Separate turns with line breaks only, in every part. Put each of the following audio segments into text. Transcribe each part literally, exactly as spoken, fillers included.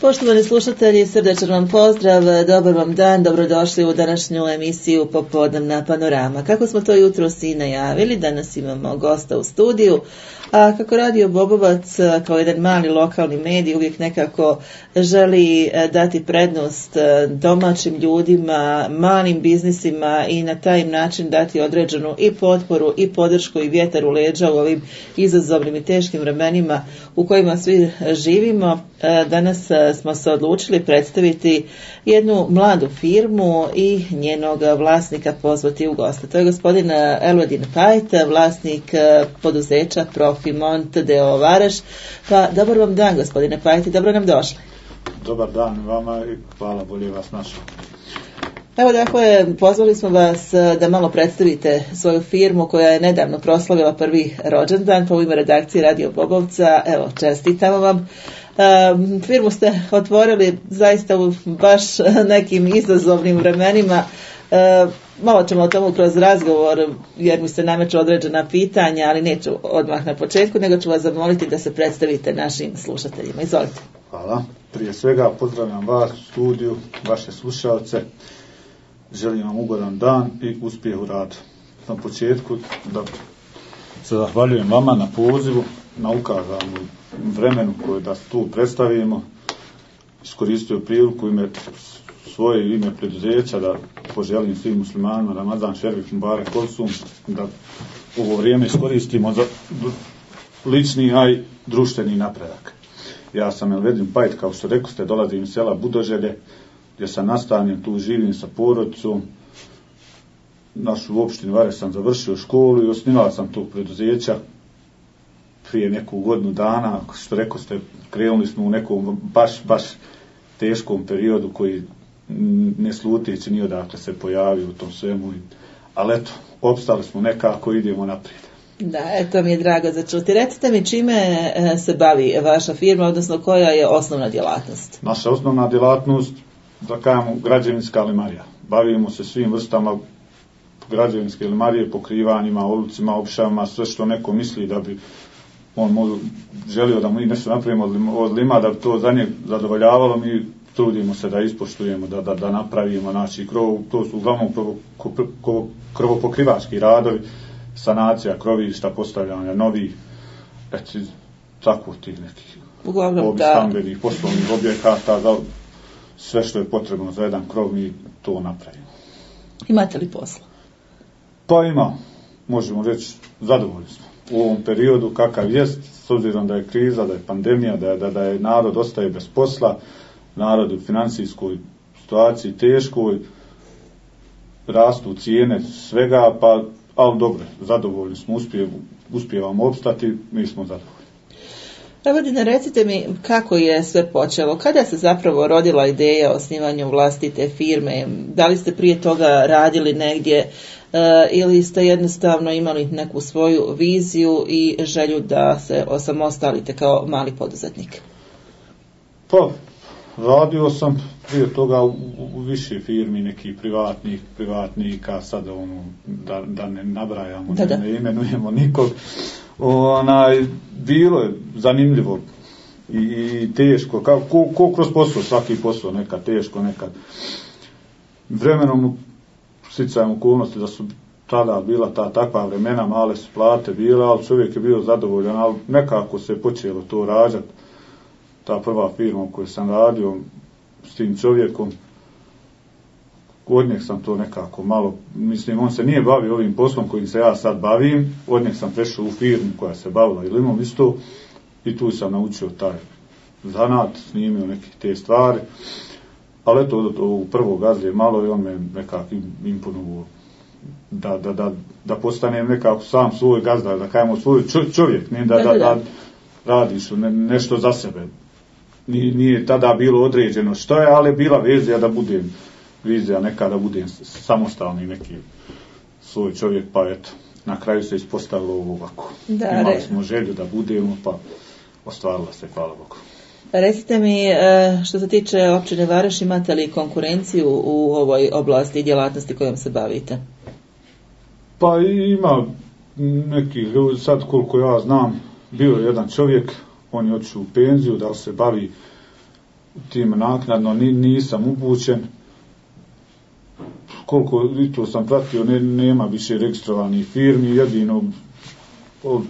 Poštovani slušatelji, srdečan vam pozdrav, dobar vam dan, dobrodošli u današnju emisiju Popodnevna panorama. Kako smo to jutros i najavili, danas imamo gosta u studiju, a kako Radio Bobovac kao jedan mali lokalni medij uvijek nekako želi dati prednost domaćim ljudima, malim biznisima i na taj način dati određenu i potporu i podršku i vjetar u leđa u ovim izazovnim i teškim vremenima u kojima svi živimo. Danas smo se odlučili predstaviti jednu mladu firmu i njenog vlasnika pozvati u goste. To je gospodin Elvedin Pajt, vlasnik poduzeća Profimont d o o Varaš. Pa dobar vam dan, gospodine Pajt, dobro nam došli.
Dobar dan vama i hvala, bolje vas našao.
Evo, dakle, pozvali smo vas da malo predstavite svoju firmu koja je nedavno proslavila prvi rođendan, pa u ime redakcije Radio Bobovca, evo, čestitamo vam. Um, firmu ste otvorili zaista u baš nekim izazovnim vremenima. Uh, malo ćemo o tomu kroz razgovor, jer mi se nameću određena pitanja, ali neću odmah na početku, nego ću vas zamoliti da se predstavite našim slušateljima. Izvolite.
Hvala. Prije svega pozdravljam vas u studiju, vaše slušalce. Želim vam ugodan dan i uspjeh u radu. Na početku da se zahvaljujem vama na pozivu, na ukazanom vremenu koje da tu predstavimo. Iskoristio priliku ime svoje ime preduzeća da poželim svim muslimanima Ramazan Šerif Mubarek Olsum, da ovo vrijeme iskoristimo za lični, a i društveni napredak. Ja sam Elvedin Pajt, kao što rekao ste, dolazim iz sela Budoželje, gdje sam nastanjen, tu živim sa porodicom. Našu opštinu Varaš sam završio školu i osnivao sam tog preduzeća prije neku godinu dana. Što rekao ste, krenuli smo u nekom baš, baš teškom periodu koji ne sluteći ni odakle se pojavio u tom svemu. Ali eto, opstali smo nekako, idemo naprijed.
Da, eto mi je drago za čuti. Recite mi čime se bavi vaša firma, odnosno koja je osnovna djelatnost?
Naša osnovna djelatnost, da kažemo, građevinska limarija. Bavimo se svim vrstama građevinske limarije, pokrivanjima, olucima, opšavama, sve što neko misli da bi on možda želio da mi nešto napravimo od lima, da bi to za njeg zadovoljavalo, mi trudimo se da ispoštujemo, da, da, da napravimo, znači krov, to su uglavnom krovopokrivački radovi, sanacija krovišta, postavljanja novih, eto, tako tih nekih
uglavnom,
stambenih, poslovnih objekata, za sve što je potrebno za jedan krov, mi to napravimo.
Imate li posla?
Pa ima, možemo reći, zadovoljni smo. U ovom periodu kakav jest, s obzirom da je kriza, da je pandemija, da je, da, da je narod ostaje bez posla, narod u financijskoj situaciji teškoj, rastu cijene svega, pa, ali dobro, zadovoljni smo, uspjev, uspjevamo opstati, mi smo zadovoljni.
Elvedine, recite mi kako je sve počelo, kada se zapravo rodila ideja o osnivanju vlastite firme, da li ste prije toga radili negdje uh, ili ste jednostavno imali neku svoju viziju i želju da se osamostalite kao mali poduzetnik?
Pa, radio sam prije toga u, u više firmi, nekih privatnih, privatnika, sad ono, da, da ne nabrajamo, da, da. ne imenujemo nikog. Onaj, bilo je zanimljivo i, i teško, kao, ko, ko kroz posao, svaki posao, nekad teško, nekad vremenom sticajem okolnosti da su tada bila ta takva vremena, male su plate bila, ali čovjek je bio zadovoljan, ali nekako se počelo to rađati. Ta prva firma u kojoj sam radio s tim čovjekom, od njeg sam to nekako malo, mislim, on se nije bavio ovim poslom kojim se ja sad bavim, od njeg sam prešao u firmu koja se bavila i limom isto i tu sam naučio taj zanat, snimio neke te stvari, ali eto, od ovog prvog gazde malo i on me nekako imponuo da, da, da, da postanem nekako sam svoj gazda, da kajemo svoj čovjek, ne da, da, da radiš ne, nešto za sebe. Nije, nije tada bilo određeno što je, ali bila vizija da budem vizija neka da budem samostalni neki svoj čovjek, pa eto, na kraju se ispostavilo ovako. Da, imali re... smo želju da budemo, pa ostvarila se, hvala Bogu.
Recite mi, što se tiče općine Varaš, imate li konkurenciju u ovoj oblasti i djelatnosti kojom se bavite?
Pa ima neki ljudi, sad koliko ja znam, bio je jedan čovjek, on je otišao u penziju, da li se bavi tim naknadno nisam upućen. Koliko i to sam pratio, ne, nema više registrovanih firmi, jedino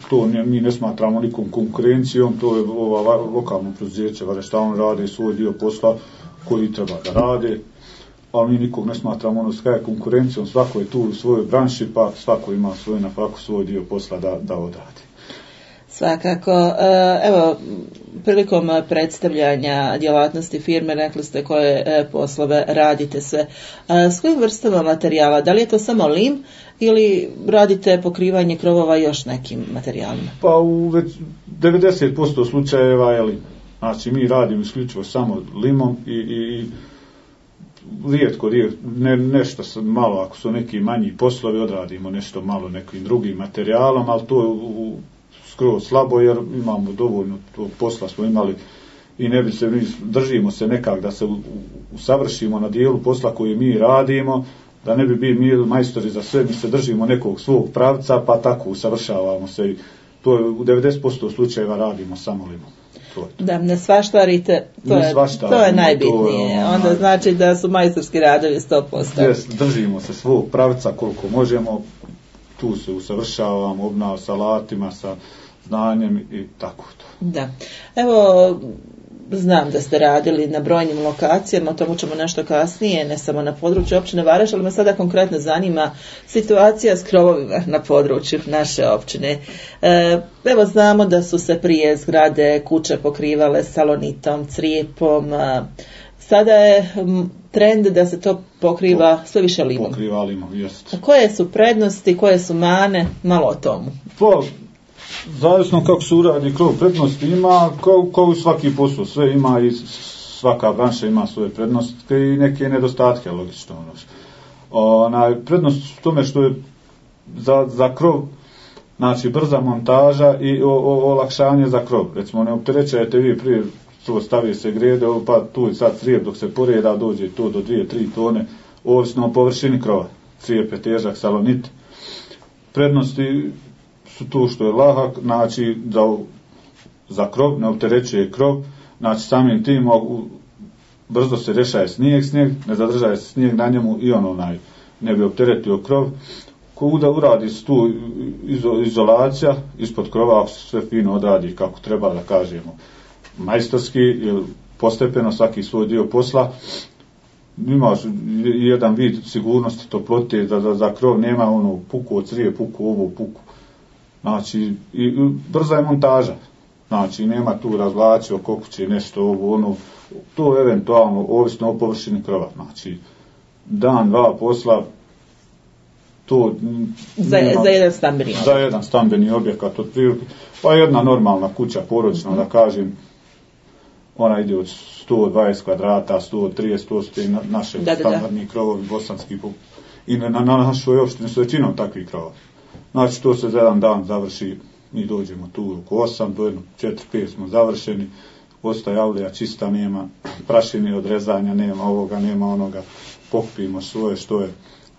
to ne, mi ne smatramo nikom konkurencijom, to je ova lokalno preduzeće, vada šta on rade svoj dio posla koji treba da rade, ali mi nikog ne smatramo ono s konkurencijom, svako je tu u svojoj branši, pa svako ima svoj na faku svoj dio posla da, da odradi.
Svakako, evo, prilikom predstavljanja djelatnosti firme rekli ste koje poslove radite sve. S kojim vrstama materijala? Da li je to samo lim ili radite pokrivanje krovova još nekim materijalima?
Pa u već devedeset posto slučajeva je lim. Znači mi radimo isključivo samo limom i, i, i rijetko, rijetko ne, nešto malo, ako su neki manji poslovi, odradimo nešto malo nekim drugim materijalom, ali to je u skroz slabo jer imamo dovoljno posla smo imali i ne bi se, mi držimo se nekak da se usavršimo na dijelu posla koji mi radimo, da ne bi bili mi majstori za sve, mi se držimo nekog svog pravca pa tako usavršavamo se i to je u devedeset posto slučajeva radimo samo limom.
Da, ne svaštarite, to, je, to je najbitnije, to je, onda znači da su majstorski radovi sto posto.
Yes, držimo se svog pravca koliko možemo, tu se usavršavamo, obnavljamo sa alatima, sa znanjem i tako to.
Da, evo, znam da ste radili na brojnim lokacijama, o tomu ćemo nešto kasnije, ne samo na području općine Vareš, ali me sada konkretno zanima situacija s krovovima na području naše općine. E, evo znamo da su se prije zgrade, kuće pokrivale salonitom, crijepom, a sada je trend da se to pokriva sve više limom.
Pokriva limom, jest.
A koje su prednosti, koje su mane, malo o tomu?
Pa, zavisno kako se uradi krov, prednosti ima, kao, kao svaki posao, sve ima i svaka branša ima svoje prednosti i neke nedostatke, logično. Onaj, prednost u tome što je za, za krov, znači brza montaža i o, o, olakšanje za krov. Recimo, ne opterećajte vi prije, to stavi se grede, pa tu i sad crijep dok se poreda, dođe to do dvije tri tone, ovisno o površini krova. Crijep je težak, salonit. Prednosti su tu što je lahak, znači za, za krov, ne opterećuje krov, znači samim tim brzo se rešaje snijeg, snijeg, ne zadržaje se snijeg na njemu i on onaj ne bi opteretio krov. Kuda uradi se tu izo, izolacija ispod krova, ako se sve fino odradi kako treba da kažemo majstorski ili postepeno svaki svoj dio posla, imaš jedan vid sigurnosti toplote da za, za krov nema ono puku od crije, puku ovo, puku. Znači, i, i brza je montaža. Znači, nema tu razvlači oko kuće, nešto ovo, ono, to eventualno ovisno o površini krova. Znači, dan, dva posla, to
za, nema, za jedan stambeni
za jedan stambeni objekat od prilike, pa jedna normalna kuća porodična, mm-hmm. da kažem, ona ide od sto dvadeset kvadrata, sto trideset, sto na, naše da, standardni da, da. krovovi, bosanski, i na, na našoj opštini su većinom takvih krova. Znači, to se za jedan dan završi, mi dođemo tu oko osam, do jedno četiri pet smo završeni, ostaje avlija čista, nema prašine od rezanja, nema ovoga, nema onoga, pokupimo svoje što je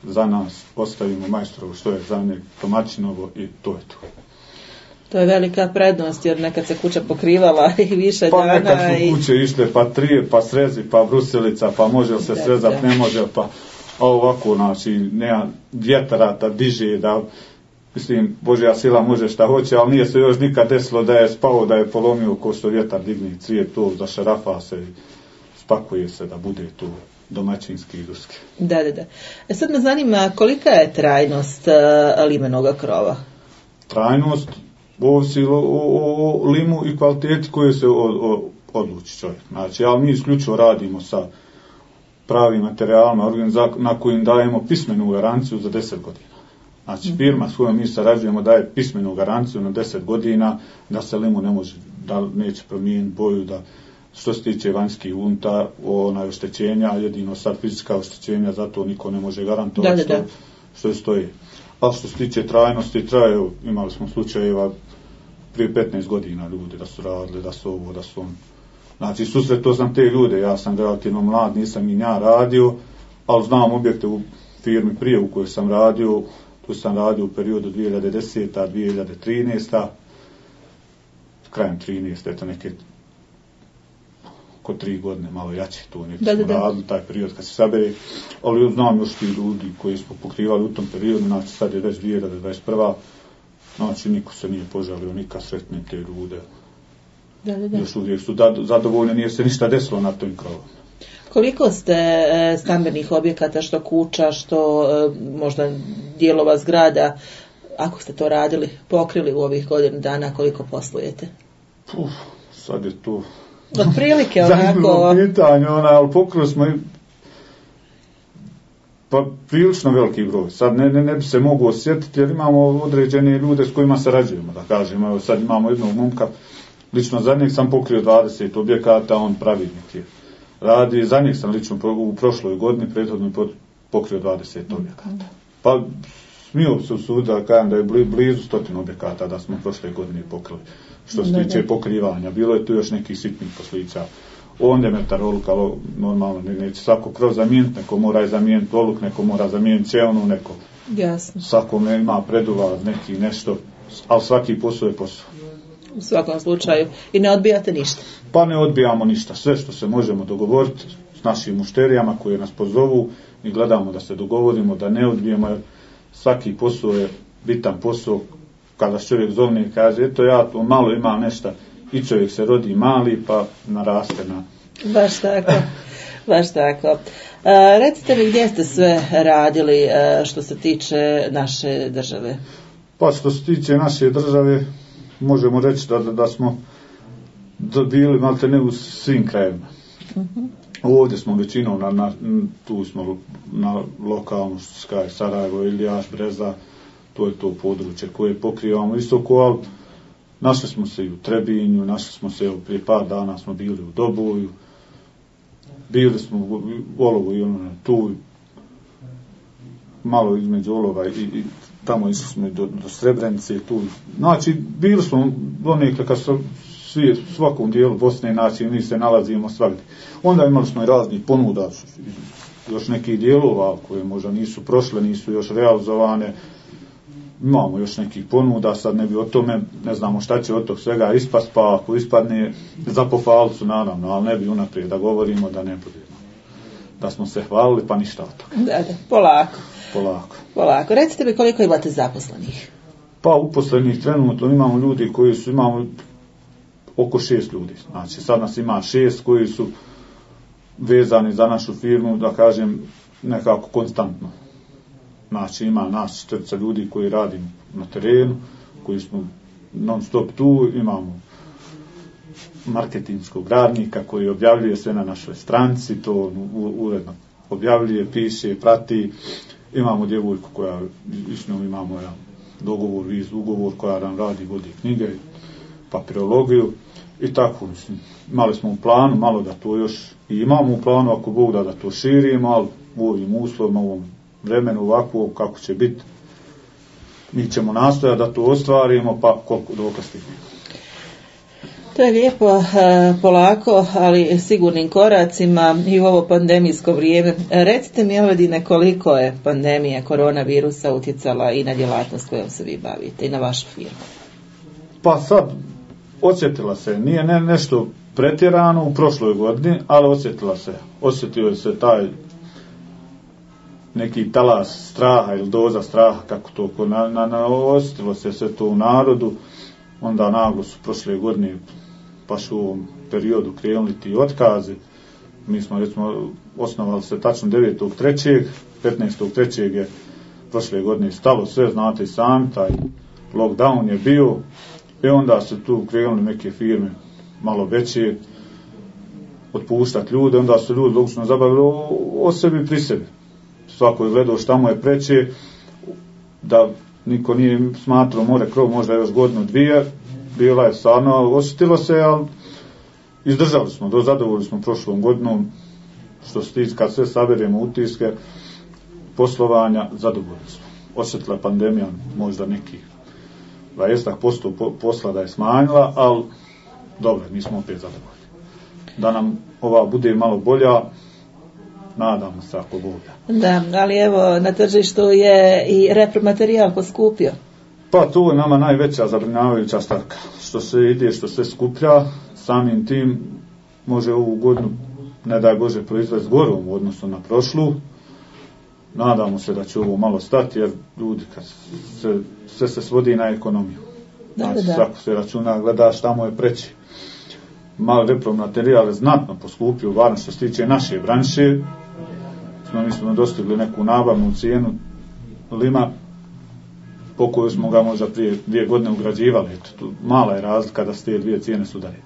za nas, ostavimo majstorovo što je za njeg, domaćinovo i to je to.
To je velika prednost, jer nekad se kuća pokrivala i više
pa
dana.
Pa nekad su kuće i... išle, pa trije, pa srezi, pa bruselica, pa može se srezati, ne može, pa ovako, znači, nema vjetara da diže, da, mislim, Božja sila može šta hoće, ali nije se još nikad desilo da je spao, da je polomio ko što vjetar digne cvijet, to zašarafa se i spakuje se da bude tu domaćinski i ruski.
Da, da, da. E sad me zanima kolika je trajnost uh, limenoga krova?
Trajnost ovisi o, o, o limu i kvaliteti koje se o, o, odluči čovjek. Znači, ali mi isključivo radimo sa pravim materijalima na kojim dajemo pismenu garanciju za deset godina. Znači, firma s kojom mi sarađujemo daje pismenu garanciju na deset godina da se limu ne može, da neće promijeniti boju, da što se tiče vanjskih unta, onaj oštećenja, jedino sad fizička oštećenja, zato niko ne može garantovati što, što je stoji. A što se tiče trajnosti, traje, imali smo slučajeva prije petnaest godina ljudi da su radili, da su ovo, da su on. Znači, susretao sam te ljude, ja sam relativno mlad, nisam i ja radio, ali znam objekte u firmi prije u kojoj sam radio, tu sam radio u periodu dvije hiljade desete. do dvije hiljade trinaeste. Krajem trinaeste. Eto neke ko tri godine, malo jače to neki
da,
smo
da, da.
radili, taj period kad se sabere, ali znam još ti ljudi koji smo pokrivali u tom periodu, znači sad je već dvije hiljade dvadeset prva. Znači niko se nije požalio, nikad sretni te ljude.
Da, da, da.
Još uvijek su da, zadovoljni, nije se ništa desilo na tom krovu.
Koliko ste e, stambenih objekata, što kuća, što e, možda dijelova zgrada, ako ste to radili, pokrili u ovih godinu dana, koliko poslujete?
Uf, sad je to...
Otprilike onako...
Zanimljivo pitanje, ona, ali pokrili smo i... Pa prilično veliki broj. Sad ne, ne, ne bi se mogu osjetiti jer imamo određene ljude s kojima sarađujemo, da kažem. Evo sad imamo jednog momka, lično za njeg sam pokrio dvadeset objekata, on pravilnik je radi. Za njeg sam lično u prošloj godini prethodno pokrio dvadeset objekata. Pa smio se u sud da kažem da je blizu stotinu objekata da smo prošle godine pokrili. Što se tiče pokrivanja. Bilo je tu još nekih sitnih poslica. Onda je metar oluka, normalno, neće svako kroz zamijeniti, neko mora i zamijeniti oluk, neko mora zamijeniti ćelnu, neko...
Jasno.
Svako ima preduvaz, neki nešto, ali svaki posao je posao.
U svakom slučaju. I ne odbijate ništa?
Pa ne odbijamo ništa. Sve što se možemo dogovoriti s našim mušterijama koji nas pozovu i gledamo da se dogovorimo, da ne odbijemo, jer svaki posao je bitan posao. Kada čovjek zovne i kaže, eto ja to malo imam nešto, i čovjek se rodi mali pa naraste na...
Baš tako, baš tako. A, recite mi gdje ste sve radili a, što se tiče naše države?
Pa što se tiče naše države, možemo reći da, da, da smo bili malte ne u svim krajevima. Uh-huh. Ovdje smo većinom, na, na, tu smo na lokalnu skaj Sarajevo, Ilijaš, Breza, to je to područje koje pokrivamo visoko, ali našli smo se i u Trebinju, našli smo se prije par dana smo bili u Doboju, bili smo u Olovu i ono tu, malo između Olova i, i tamo išli smo do, do Srebrenice tu. Znači, bili smo donekle kad su svi, svakom dijelu Bosne, znači mi se nalazimo svakdje. Onda imali smo i raznih ponuda, još nekih dijelova koje možda nisu prošle, nisu još realizovane. Imamo još nekih ponuda, sad ne bi o tome, ne znamo šta će od tog svega ispast, pa ako ispadne za pohvalcu, naravno, ali ne bi unaprijed da govorimo da ne budemo. Da smo se hvalili, pa ništa od toga.
Da, da, polako.
Polako.
Polako. Recite mi koliko imate zaposlenih?
Pa uposlenih trenutno imamo ljudi koji su, imamo oko šest ljudi. Znači, sad nas ima šest koji su vezani za našu firmu, da kažem, nekako konstantno. Znači ima nas četirica ljudi koji radimo na terenu, koji smo non stop tu, imamo marketinškog radnika koji objavljuje sve na našoj stranci, to uredno objavljuje, piše, prati. Imamo djevojku koja, s njom imamo jedan dogovor, viz, ugovor koja nam radi, vodi knjige, papirologiju i tako. Mislim, imali smo u planu, malo da to još i imamo u planu, ako Bog da da to širimo, ali u ovim uslovima, u ovom vremenu ovako kako će biti, mi ćemo nastojati da to ostvarimo, pa koliko dok stignemo.
To je lijepo, polako, ali sigurnim koracima i u ovo pandemijsko vrijeme. Recite mi, Elvedine, koliko je pandemija koronavirusa utjecala i na djelatnost kojom se vi bavite i na vašu firmu?
Pa sad, osjetila se, nije ne, nešto pretjerano u prošloj godini, ali osjetila se, osjetio se taj neki talas straha ili doza straha, kako to na, na, na, osjetilo se sve to u narodu, onda naglo su prošle godine, baš u ovom periodu krenuli ti otkazi. Mi smo, recimo, osnovali se tačno devetog trećeg petnaestog trećeg je prošle godine stalo sve, znate i sami, taj lockdown je bio, i onda su tu krenuli neke firme malo veće otpuštati ljude, onda su ljudi logično zabavili o, o sebi pri sebi. Svako je gledao šta mu je preće, da niko nije smatrao more krov, možda još godinu dvije, bila je stvarno, osjetilo se, ali izdržali smo, do zadovoljni smo prošlom godinom, što se tiče, kad sve saberemo utiske poslovanja, zadovoljni smo. Osjetila pandemija možda nekih dvadeset posto posla da je smanjila, ali dobro, mi smo opet zadovoljni. Da nam ova bude malo bolja, nadamo se ako bude.
Da, ali evo, na tržištu je i repromaterijal poskupio.
Pa to je nama najveća zabrinjavajuća stavka. Što se ide, što se skuplja, samim tim može ovu godinu, ne daj Bože, proizvesti gorom u odnosu na prošlu. Nadamo se da će ovo malo stati, jer ljudi, kad se, sve se svodi na ekonomiju.
Da,
znači,
da.
svako se računa, gleda šta mu je preći. Malo repromaterijal je znatno poskupio, varno što se tiče naše branše. Smo, mi smo dostigli neku nabavnu cijenu lima, po koju smo ga možda prije dvije godine ugrađivali. Eto, tu mala je razlika da se te dvije cijene sudare.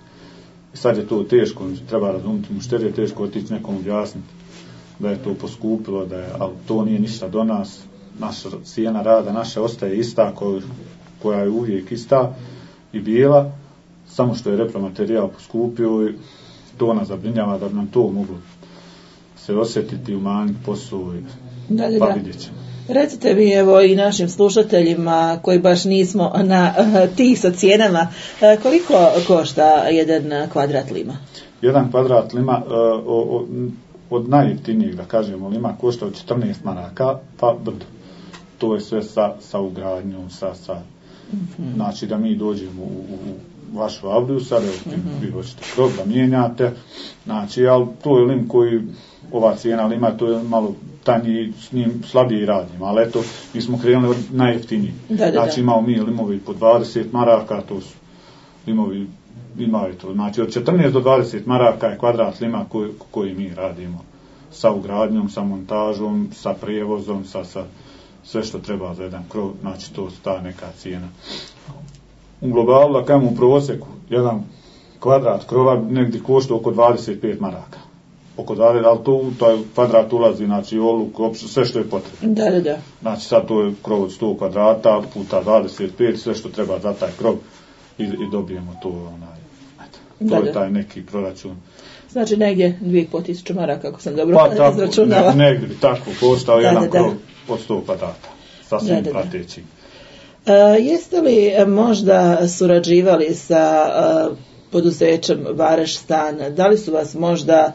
I sad je to teško, treba razumjeti mušterije, je teško otići nekom objasniti da je to poskupilo, da je, ali to nije ništa do nas. Naša cijena rada, naša ostaje ista, koja, koja je uvijek ista i bila, samo što je repromaterijal poskupio i to nas zabrinjava da bi nam to moglo se osjetiti, umanjiti posao i
da, da,
pa
da.
vidjet ćemo.
Recite mi, evo, i našim slušateljima koji baš nismo na uh, tih sa cijenama, uh, koliko košta jedan kvadrat lima?
Jedan kvadrat lima uh, o, o, od najjeftinijeg, da kažemo, lima košta od četrnaest maraka pa brdo. To je sve sa, sa ugradnjom, sa, sa mm-hmm. znači da mi dođemo u, u vašu avliju, sad evo, mm-hmm. vi hoćete krov da mijenjate, znači, ali to je lim koji, ova cijena lima, to je malo tanji, s njim slabije radimo, ali eto, mi smo krenuli od najjeftiniji.
Da, da,
znači
da.
imamo mi limovi po dvadeset maraka, to su limovi, imaju to, znači od četrnaest do dvadeset maraka je kvadrat lima koji, koji mi radimo, sa ugradnjom, sa montažom, sa prijevozom, sa, sa sve što treba za jedan krov, znači to sta neka cijena. U globalu, da kažem u prosjeku, jedan kvadrat krova negdje košta oko dvadeset pet maraka. Oko dvadeset, ali to u taj kvadrat ulazi, znači oluk, opšte, sve što je potrebno.
Da, da, da.
Znači sad to je krov od sto kvadrata puta dvadeset pet, sve što treba za taj krov i, i dobijemo to, onaj, eto, to
da,
je
da.
taj neki proračun.
Znači negdje dvije i pol tisuće maraka, kako sam dobro
pa, tako,
izračunala.
Ne, negdje bi tako koštao
da,
jedan
da, da.
krov od sto kvadrata, sa svim
da, da,
pratećim.
Uh, jeste li možda surađivali sa uh, poduzećem Vareš stan? Da li su vas možda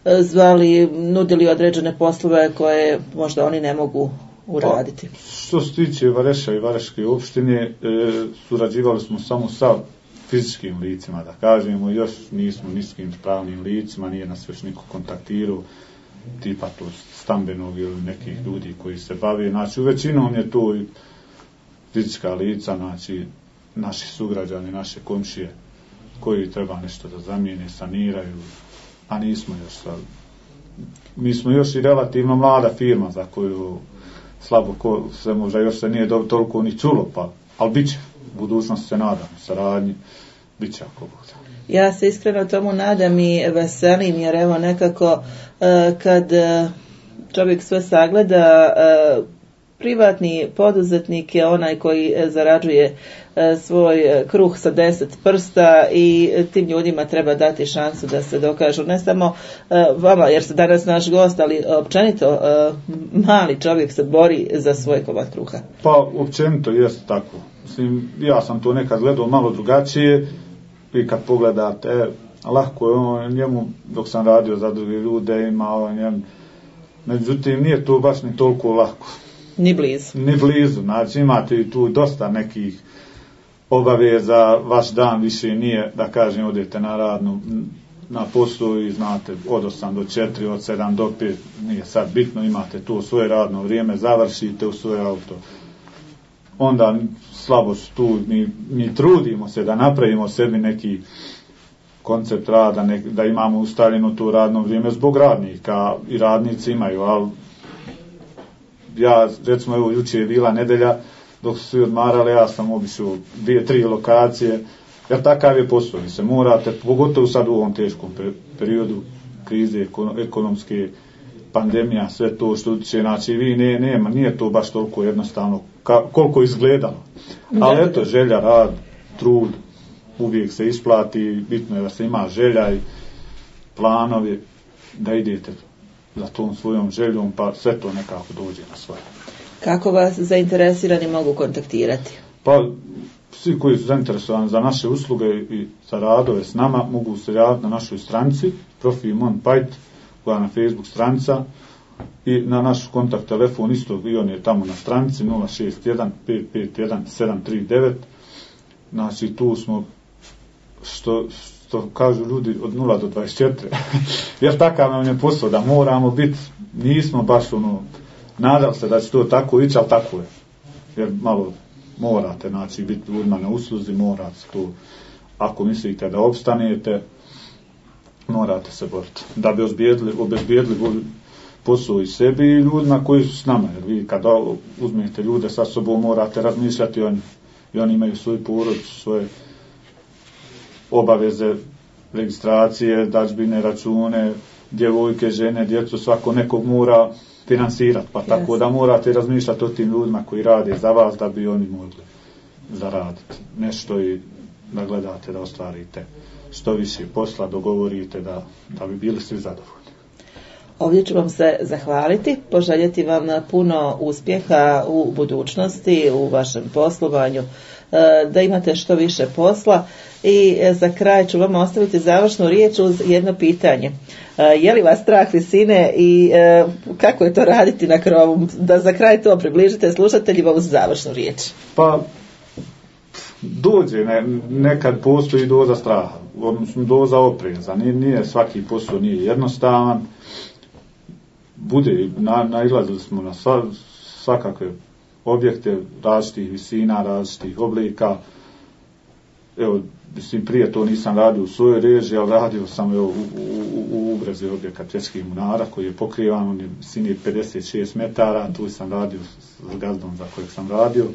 uh, zvali, nudili određene poslove koje možda oni ne mogu uraditi?
Pa, što se tiče Vareša i Vareške opštine, e, surađivali smo samo sa fizičkim licima, da kažemo, još nismo niskim pravnim licima, nije nas još niko kontaktirao, tipa to stambenog ili nekih ljudi koji se bave, znači u većinom je to i fizička lica, znači naši sugrađani, naše komšije koji treba nešto da zamijene, saniraju, a nismo još sad. Mi smo još i relativno mlada firma za koju slabo ko se možda još se nije do, toliko ni čulo, pa, ali bit će, u budućnosti se nadam, saradnji, bit će ako bude.
Ja se iskreno tomu nadam i veselim, jer evo nekako uh, kad uh, čovjek sve sagleda, uh, privatni poduzetnik je onaj koji zarađuje svoj kruh sa deset prsta i tim ljudima treba dati šansu da se dokažu. Ne samo vama, jer se danas naš gost, ali općenito mali čovjek se bori za svoj komad kruha.
Pa općenito jeste tako. Mislim, ja sam to nekad gledao malo drugačije i kad pogledate, lahko je ono njemu, dok sam radio za druge ljude, imao njemu, međutim nije to baš ni toliko lako.
Ni blizu.
Ni blizu, znači imate i tu dosta nekih obaveza, vaš dan više nije, da kažem, odete na radnu, na poslu i znate od osam do četiri, od sedam do pet, nije sad bitno, imate tu svoje radno vrijeme, završite u svoje auto. Onda slabo su tu, mi, mi trudimo se da napravimo sebi neki koncept rada, nek, da imamo ustaljeno tu radno vrijeme zbog radnika i radnici imaju, ali ja, recimo, evo, juče je bila nedelja, dok su svi odmarali, ja sam obišao dvije, tri lokacije, jer takav je posao, vi se morate, pogotovo sad u ovom teškom periodu krize, ekonomske, pandemija, sve to što utiče, znači vi ne, nema, nije to baš toliko jednostavno, ka, koliko izgledalo. Ali eto, želja, rad, trud, uvijek se isplati, bitno je da se ima želja i planovi, da idete za tom svojom željom, pa sve to nekako dođe na svoje.
Kako vas zainteresirani mogu kontaktirati?
Pa, svi koji su zainteresovani za naše usluge i za radove s nama, mogu se javiti na našoj stranici, profil Monpajt, koja je na Facebook stranica, i na naš kontakt telefon isto, i on je tamo na stranici, nula šest jedan pet pet jedan sedam tri devet. Znači, tu smo, što što kažu ljudi od nula do dvadeset četiri, jer takav nam je posao da moramo biti, nismo baš ono, nadali se da će to tako ići, ali tako je. Jer malo morate, znači, biti ljudima na usluzi, morate to, ako mislite da opstanete, morate se boriti. Da bi obezbijedili, obezbijedili posao i sebi i ljudima koji su s nama, jer vi kada uzmete ljude sa sobom morate razmišljati o njih. I oni imaju svoju porodicu, svoje obaveze, registracije, dažbine, račune, djevojke, žene, djecu, svako nekog mora finansirati, pa tako yes. da morate razmišljati o tim ljudima koji rade za vas da bi oni mogli zaraditi nešto i da gledate da ostvarite što više posla, dogovorite da, da bi bili svi zadovoljni.
Ovdje ću vam se zahvaliti, poželjeti vam puno uspjeha u budućnosti, u vašem poslovanju, da imate što više posla i za kraj ću vam ostaviti završnu riječ uz jedno pitanje. Je li vas strah visine i kako je to raditi na krovu? Da za kraj to približite slušateljima uz završnu riječ.
Pa, dođe, ne, nekad postoji doza straha, odnosno doza opreza, nije, nije svaki posao nije jednostavan, bude, na, nailazili smo na sva, svakakve objekte različitih visina, različitih oblika, evo, mislim, prije to nisam radio u svojoj režiji, ali radio sam evo, u, u, u ubrezi objekat Svjetskih munara koji je pokrivan, on je visini pedeset šest metara, tu sam radio s gazdom za kojeg sam radio.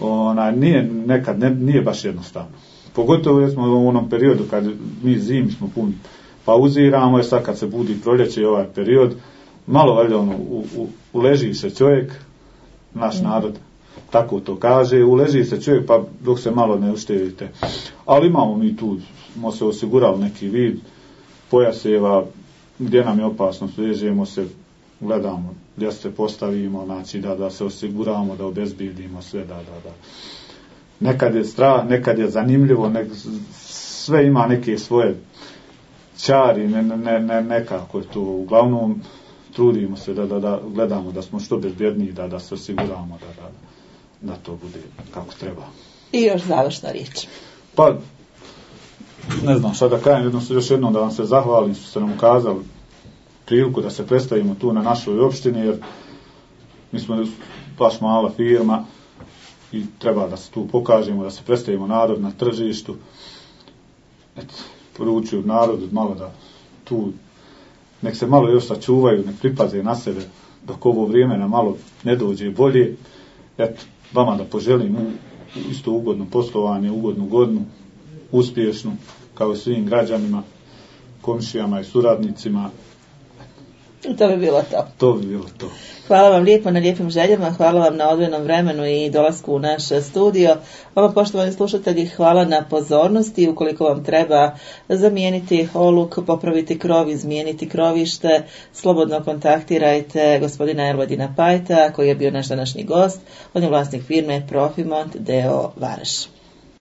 Ona, nije, nekad ne, nije baš jednostavno. Pogotovo recimo u onom periodu kad mi zimi smo pun pauziramo, je sad kad se budi proljeće ovaj period, malo valjda ono, u, u, uleži se čovjek, naš narod tako to kaže, uleži se čovjek pa dok se malo ne uštedite. Ali imamo mi tu, smo se osigurali neki vid pojaseva, gdje nam je opasno, svežemo se, gledamo gdje se postavimo, znači da, da se osiguramo, da obezbijedimo sve, da, da, da. Nekad je strah, nekad je zanimljivo, nek, sve ima neke svoje čari, ne, ne, ne, nekako je to, uglavnom trudimo se da, da, da gledamo da smo što bezbjedniji, da, da se osiguramo, da, da, da to bude kako treba.
I još završna riječ.
Pa, ne znam šta da kažem, jednom, još jednom da vam se zahvalim što ste nam ukazali priliku da se predstavimo tu na našoj opštini, jer mi smo baš mala firma i treba da se tu pokažemo, da se predstavimo narod na tržištu. Eto, poručuju narodu malo da tu nek se malo još sačuvaju, nek pripaze na sebe dok ovo vrijeme na malo ne dođe bolje. Eto, vama da poželim isto ugodno poslovanje, ugodnu godinu, uspješnu, kao i svim građanima, komšijama i suradnicima.
I to bi bilo to.
To bi bilo to.
Hvala vam lijepo na lijepim željama, hvala vam na odvojenom vremenu i dolasku u naš studio. Vama, poštovani slušatelji, hvala na pozornosti. Ukoliko vam treba zamijeniti oluk, popraviti krov, izmijeniti krovište, slobodno kontaktirajte gospodina Ervodina Pajta, koji je bio naš današnji gost. On je vlasnik firme Profimont d o. Vareš.